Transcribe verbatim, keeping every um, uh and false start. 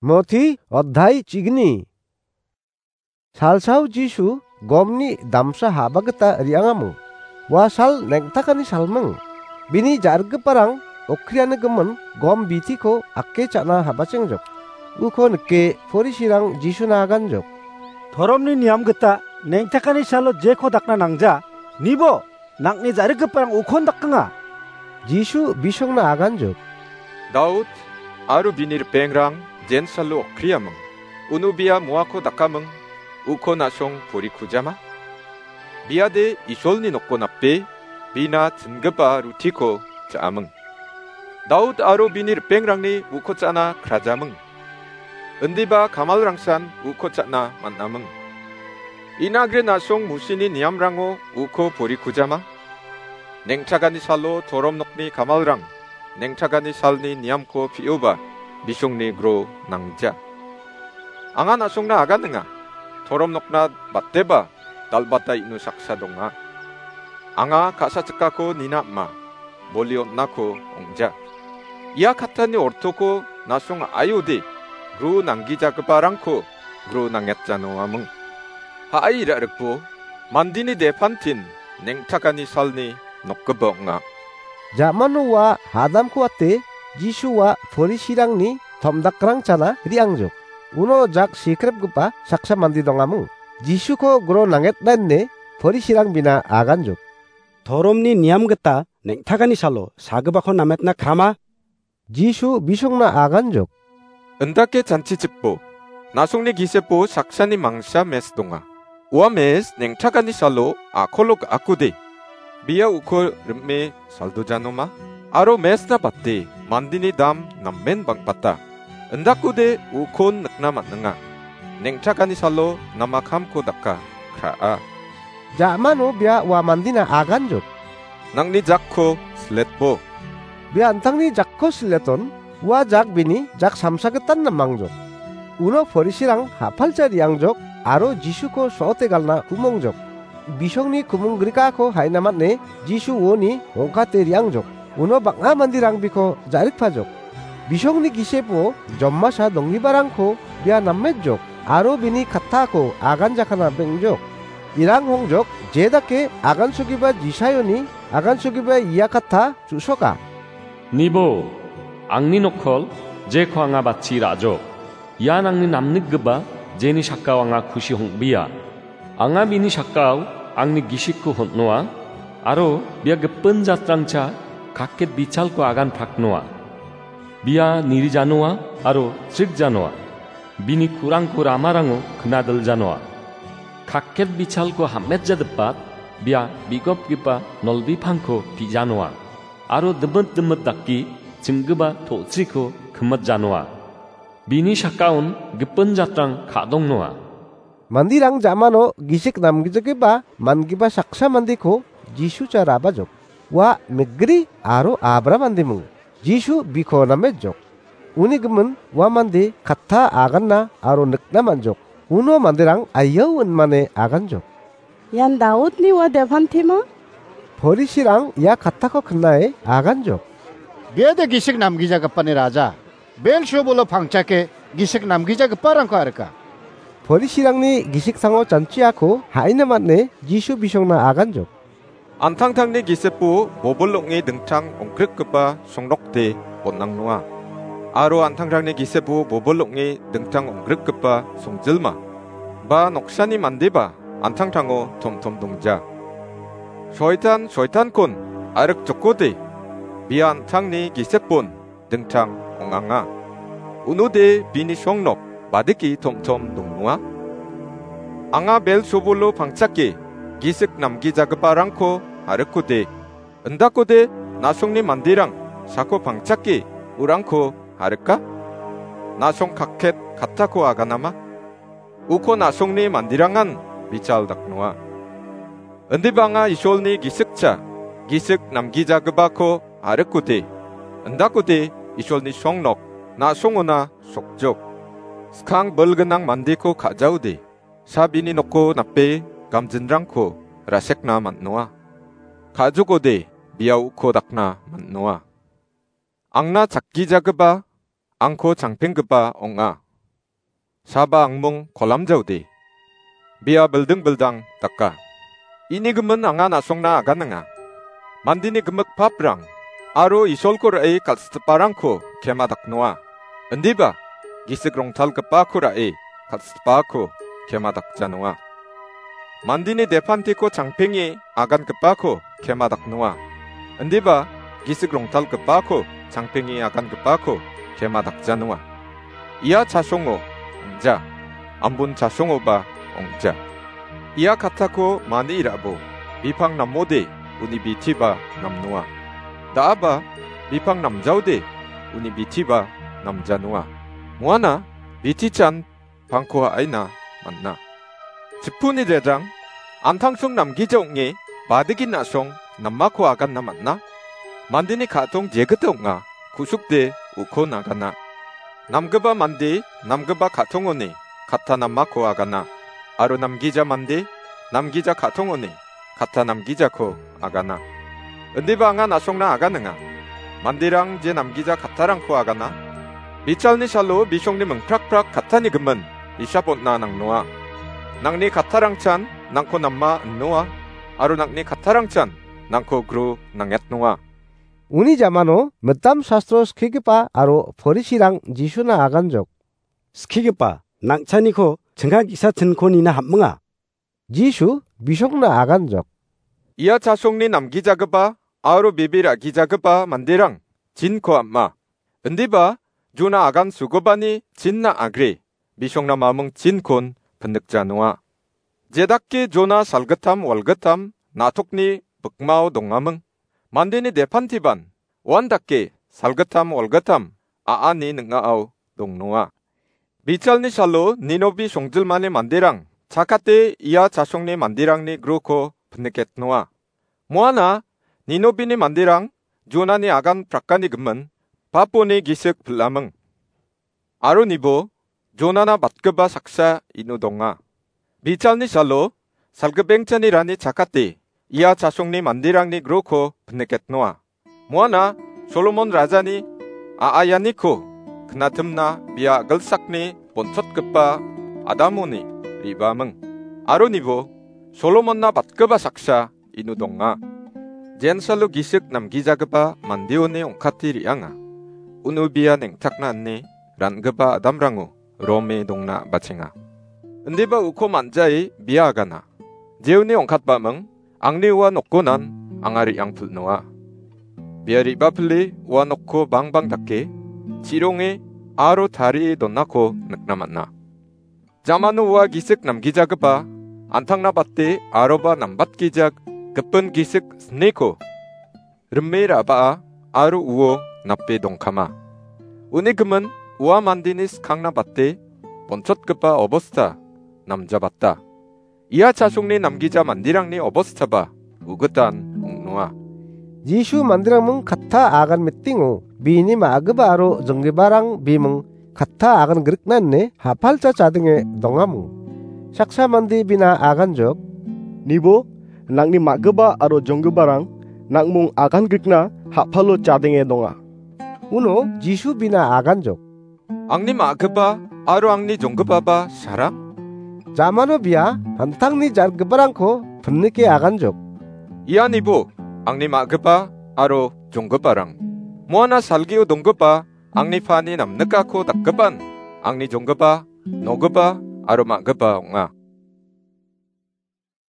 Moti oddai chigni. Salsao Jisu gomni damsa haba gita re·angaming. Ua sal neng·takani salming. Bini ja·rikgiparang okriani gimin gom bitiko ake cha·na habacengjok. Uko nike Porisirang Jisuna aganjok. Toromni niam gita neng·takani salo jeko dakna nangja. Nibo, nang·ni ja·rikgiparang ukon dakenga. Jisu bisongna aganjok. Daud aro bini ripengrang jensalo okriaming. Uno bia moako dakaming, uko na·song porikujama. Biade Isolni nokko nape, bina chingipa rutiko cha·aming. Daud aro bini ripengrangni uko cha·na krajaming. Indiba kamalrangsan uko cha·na man·aming. Inagre na·song Musini niamrango uko porikujama. Neng·chagani salo torom nokni kamalrang neng·chagani salni niamko pi·oba bisongni gro nangja. Anga na·songna aganenga. Torom nokna bateba dal·bata ino saksa donga. Anga ka·sachikako nina ama, boli on·ako ong·ja. Ia kattani ortoko na·song a·aiode gro nanggijagiparangko gro nangetjanoaming. Ha·ai ra·rikbo mandini depantin neng·takani salni nokgipa ong·a. Ja·mano ua hadamko ate Jisu ua Porisirangni tom·dakrangchana re·angjok. Uno jak sikrepgipa saksa mande dongaming. Jisuko gro nangetna ine Porisirang bina aganjok. Toromni niam gita neng·takani salo sagipako nametna krama? Jisu bisongna aganjok. Indake chanchichikbo, na·songni gisepo saksani mangsa mes donga. Ua mes neng·takani salo a·kolo ga·akode. Bia uko rime saldojanoma. Aro mesna bate mandini dam namen bang·bata. Indakode ukon nikna man·enga. Neng·takani salo namakamko daka, kra·a. Ja·mano bia ua mandina aganjok. Nang·ni jakko siletbo. Bia an·tangni jakko sileton, ua jak bini jak samsagitan namangjok. Uno Porisirang ha·palcha re·angjok aro Jisuko so·ote galna kumongjok. Bisongni kumonggrikako haina man·e Jisu uoni ong·kate re·angjok. Uno bang·a manderang biko ja·rikpajok. Bisongni gisepo jomasa donggiparangko bia nammetjok aro bini kattako aganjakana beng·jok. Irang hongjok, jedake agansogipa Jisaioni agansogipa ia katta chu·soka. Nibo, angni nokkol, jeko anga batchi ra·jok. Ian angni namnikgipa, jeni sakao anga kusi hong·bia. Anga bini sakao angni gisikko hon·noa, aro bia gipin jatrangcha kakket bichalko agan praknoa. Bia nirijanoa aro srikjanoa. Bini kurangko ramarango knadiljanoa. Kakket bichalko hametjadipat, bia bigopgipa nolbipangko pijanoa. Aro dimit dimit dake chinggipa to·chriko kimitjanoa. Bini sakaon gipin jatrang ka·dongnoa. Manderang ja·mano gisik namgijagipa man·gipa saksa mandeko Jisu cha ra·bajok. Ua Mikgri aro Abra mandeming. Jisu biko namejok. Uni gimin ua mande katta aganna aro nikna man·jok. Uno manderang aiao inmane aganjok. Ian Daudni ua depantima? Porisirang ia kattako knae aganjok. Biade gisik namgijagipani raja, Belsebolo pangchake gisik namgijagiparangko arika. Porisirangni gisiksango chanchiako ha·ina man·e Jisu bisongna aganjok. An·tangtangni gisepo bobil ong·e dingtang ong·grikgipa songnokde bon·angnoa. Aro an·tangtangni gisepo bobil ong·e dingtang ong·grikgipa songjilma ba noksani mandeba an·tangtango tomtom dongja. Soitan, soitankon arikjokode, bia an·tangni gisepon dingtang ong·anga. Unode bini songnok badiki tomtom dongnoa? Anga Belsebolo pangchake gisik namgijagiparangko arikode, indakode na·songni manderang sako pangchake urangko arika? Na·song kakket kattako aganama? Uko na·songni manderangan bichal daknoa. Indibanga Isolni gisikcha, gisik namgijagipako arikode, indakode Isolni songnok na·songona sokjok. Skang bilgnang mandeko ka·jaode, sabini noko nape gamjinrangko rasekna man·noa. Ka·jokode bia uko dakna man·noa. Angna chakgijagipa, angko changpenggipa ong·a. saba angmung kolamjaode. Bia bilding bildang daka. Ini gimin anga na·songna aganenga. Mandini gimik paprang aro Isolko ra·e kal·sitiparangko kema daknoa. Indiba, gisik rongtalgipako ra·e kal·sitipako kema dakjanonga. Mandini depantiko changpenge agangipako kema daknoa. Indiba, gisik rongtalgipako changpenge agangipako kema dakjanonga. Ia chasongo ong·ja, ambun chasongoba ong·ja. Ia kattako mani ra·bo, bipang namode uni bitiba namnoa. Da·aba bipang namjaode uni bitiba namjanoa. Moana bitichan pangko ha·aina man·a. Chipuni jejang, antangsong namgija ong·e, badigin na·song namako aganna man·a. Mandeni ka·tong jegita ong·a, ku·sukde uko nagana. Namgipa mande namgipa ka·tongoni katta namako agana, aro namgija mande namgija ka·tongoni katta namgijako agana. Indiba anga na·songna aganenga. Manderang je namgija kattarangko agana, bichalni salo bisongni mingprakprak kattani gimin hisap on·na nangnoa. Nangni kattarangchan nangko nama innoa, aro nangni kattarangchan nangko gru nangetnoa. Uni jamano mitam sastro skigipa aro Porisirang Jisuna aganjok. Skigipa, nang·chaniko chingka ge·sa chinko nina ham·minga. Jisu bisongna aganjok. Ia chasongni namgijagipa aro bebe ra·gijagipa manderang chinko am·a. Indiba, Jona agan sugipani chinna agre, bisongna maming chinkon pinikjanoa. Jedake Jona salgittam walgittam na·tokni bikmao dongaming. Mandeni depantiban, uandake salgittam walgittam a·ani ning·ao dongnoa. Bichalni salo Ninobi songjilmani manderang chakate ia chasongni manderangni gruko piniketnoa. Moana Ninobini manderang Jonani agan prakani gimin paponi gisik pilaming. Aro nibo Jonana batgipa saksa ino donga. Bichalni salo salgipengchani rani chakate ia chasongni manderangni gruko piniketnoa. Moana Solomon rajani a·ayaniko knatimna bia a·gilsakni bonchotgipa Adamoni re·baaming. Aro nibo Solomonna batgipa saksa ino donga. Jensalo gisik namgijagipa mandeoni ong·kate re·anga. Uno bia neng·takna ine ran·gipa Adamrango rome dongna bachenga. Indiba uko man·jae bia agana. Jeoni ong·katbaming, angni ua nokonan anga re·angpilnoa. Bia re·bapile ua nokko bangbang dake, chironge aro tarie donako nikna man·a. Jamano ua gisik namgijagipa, antangna bate aroba nambatgijak gipin gisik sniko rime ra·baa aro uo nape dongkama. Uni gimin ua mandeni skangna bate bonchotgipa obosta namjabata. Ia chasongni namgija manderangni obostaba ugitan ong·noa. Jisu manderangming katta agan mitingo bini ma·gipa aro jonggiparang biming katta agan grikna ine ha·palcha chadenge dongamung. Saksa mande bina aganjok. Nibo, nangni ma·gipa aro jonggiparang nangmung agan grikna ha·palo chadenge donga. Uno Jisu bina aganjok. Angni ma·gipa aro angni jonggipaba saram? Jamano bia an·tangni jargiparangko pinike aganjok. Ia nibo angni ma·gipa aro jonggiparang. Moana salgio donggipa angni pani namnikako dakgipan angni jonggipa, nogipa aro ma·gipa ong·a.